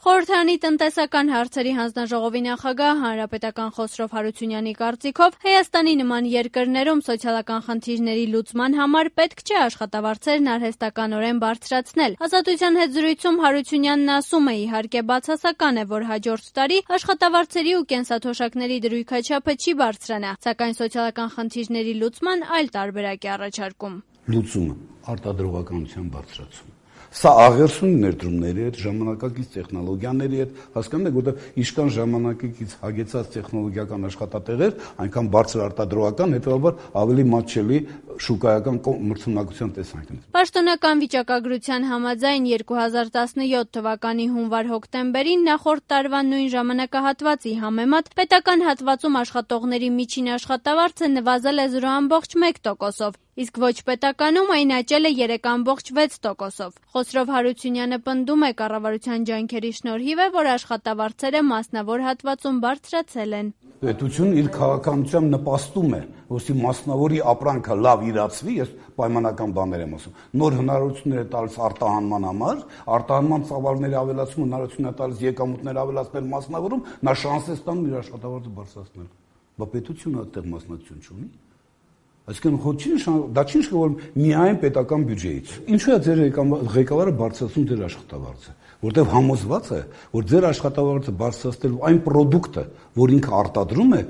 Խորհրդարանի տնտեսական հարցերի հանձնաժողովի նախագահ հանրապետական Խոսրով Հարությունյանի կարծիքով Հայաստանի նման երկրներում սոցիալական խնդիրների լուծման համար պետք չէ աշխատավարձերն արհեստականորեն բարձրացնել։ Ազատության հետ զրույցում Հարությունյանն ասում է, իհարկե բացասական է, որ հաջորդ տարի աշխատավարձերի ու կենսաթոշակների դրույքաչափը չի բարձրանա, սակայն սոցիալական խնդիրների լուծման այլ տարբերակ է առաջարկում։ Լուծումը արտադրողականության բարձրացում։ Սա աղերսուն ներդրումների հետ, ժամանակակից տեխնոլոգիաների հետ, հասկանում եք, որտեղ իշքան ժամանակակից հագեցած տեխնոլոգիական աշխատատեղեր, այնքան բարձր արտադրողական, հետևաբար ավելի մատչելի շուկայական մրցունակության տեսանկյունից։ Պաշտոնական վիճակագրության համաձայն 2017 թվականի հունվար-հոկտեմբերին նախորդ տարվա նույն ժամանակահատվածի համեմատ պետական հատվածում աշխատողների միջին աշխատավարձը նվազել է 0,1%-ով, իսկ ոչ պետականում այն աճել է 3,6%-ով։ Խոսրով Հարությունյանը պնդում է, կառավարության ջանքերի շնորհիվ է, որ աշխատավարձերը մասնավոր հատվածում բարձրացել են։ Պետությունն իր քաղաքականությամբ նպաստում է, որպեսզի մասնավորի ապրանքը լավ իրացվի, ես պայմանական բաներ եմ ասում, նոր հնարավորություններ է տալիս արտահանման համար, արտահանման ծավալների ավելացում հնարավորություն է տալիս եկամուտներ ավելացնել մասնավորում, նա շանս է ստանում իր աշխատավարձը բարձրացնել։ Բա պետությունը այդտեղ մասնակցություն չունի։ Այսինքն դա չի նշանակում, որ միայն պետական բյուջեից։ Ինչու է ձեր ղեկավարը բարձրացնում ձեր աշխատավարձը, որտեղ համոզված է, որ ձեր աշխատավարձը բարձրացնելու այն պրոդուկտը, որ ինքը արտադրում է,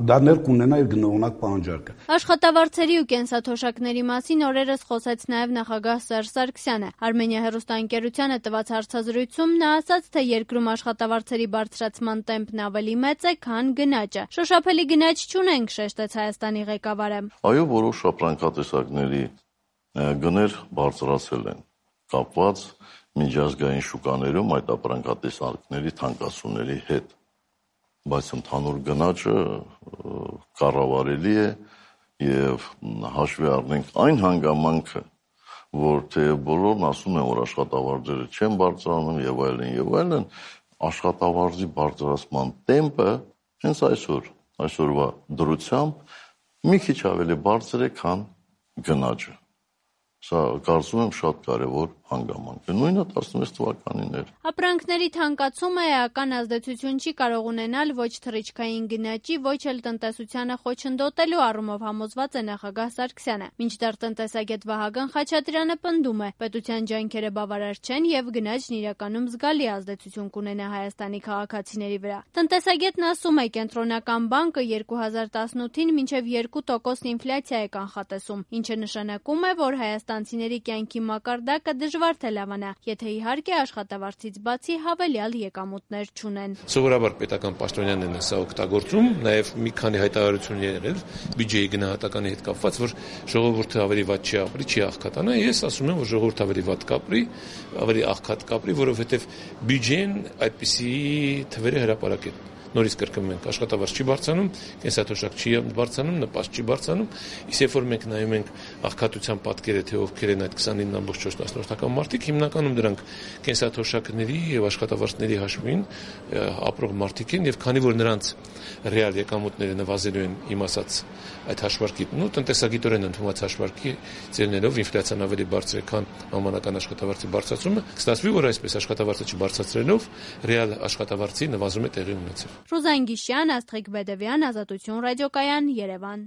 դա ներ կունենա իր գնողունակ պահանջարկը։ Աշխատավարձերի ու կենսաթոշակների մասին օրերս խոսեց նաև նախագահ Սերժ Սարգսյանը։ Արմենիա հեռուստաընկերությանը տված հարցազրույցում նա ասաց, թե երկրում աշխատավարձերի բարձրացման տեմպն ավելի մեծ է, քան գնաճը։ Շոշափելի գնաճ չունենք, շեշտեց Հայաստանի ղեկավարը։ Այո, որոշ ապրանքատեսակների գներ բարձրացել են, կապված միջազգային շուկաներում այդ ապրանքատեսակների թանկացումների հետ, բայց ընդհանուր գնաճը կառավարելի է եւ հաշվի առնենք այն հանգամանքը, որ թեև բոլորն ասում են, որ աշխատավարձերը չեն բարձրանում եւ այլն, աշխատավարձի բարձրացման տեմպը հենց այսօրվա դրությամբ մի քիչ ավելի բարձր է, քան գնաճը։ Սա կարծում եմ շատ կարևոր հանգամանք է, նույնը 16 թվականին էր։ Ապրանքների թանկացումը էական ազդեցություն չի կարող ունենալ ոչ թռիչքային գնաճի, ոչ էլ տնտեսությանը խոչընդոտելու առումով համոզված է նախագահ Սարգսյանը։ Մինչդեռ տնտեսագետ Վահագն Խաչատրյանը պնդում է, պետության ջանքերը բավարար չեն եւ գնաճն իրականում զգալի ազդեցություն կունենա Հայաստանի քաղաքացիների վրա։ Տնտեսագետն ասում է, Կենտրոնական բանկը 2018-ին մինչև 2% ինֆլյացիա է կանխատեսում, ինչը նշանակում է, որ հայաստանցիների կյանքի մակարդակը դժվար թե լավանա, եթե իհարկե աշխատավարձից բացի հավելյալ եկամուտներ չունեն։ Սովորաբար պետական պաշտոնյաներն են սա օգտագործում, նաև մի քանի հայտարարություն եղել բյուջեի գնահատականի հետ կապված, որ ժողովուրդը ավելի վատ չի ապրի, չի աղքատանա։ Ես ասում եմ, որ ժողովուրդը ավելի վատ կապրի, ավելի աղքատ կապրի, որովհետև բյուջեն այդպիսի թվերը հրապարակ է։ Նորից կրկնում ենք, աշխատավարձ չի բարձրանում, կենսաթոշակ չի բարձրանում, նպաստ չի բարձրանում, իսկ երբ որ մենք նայում ենք աղքատության պատկերը, թե ովքեր են այդ 29,4% մարդիկ, հիմնականում դրանք կենսաթոշակների եւ աշխատավարձների հաշվին ապրող մարդիկ են, եւ քանի որ նրանց ռեալ եկամուտները նվազելու են իմ ասած այդ հաշվարկի, տնտեսագիտորեն ընդունված հաշվարկի ծերներով ինֆլյացիան ավելի բարձր է, քան համանական աշխատավարձի բարձրացումը, կստացվի, որ այսպես աշխատավարձը չբարձրացնելով ռեալ աշխատավարձի նվազում է տեղի ունեցել։ Ռուզան Գիշյան, Աստղիկ Բեդևյան, Ազատություն ռադիոկայան, Երևան։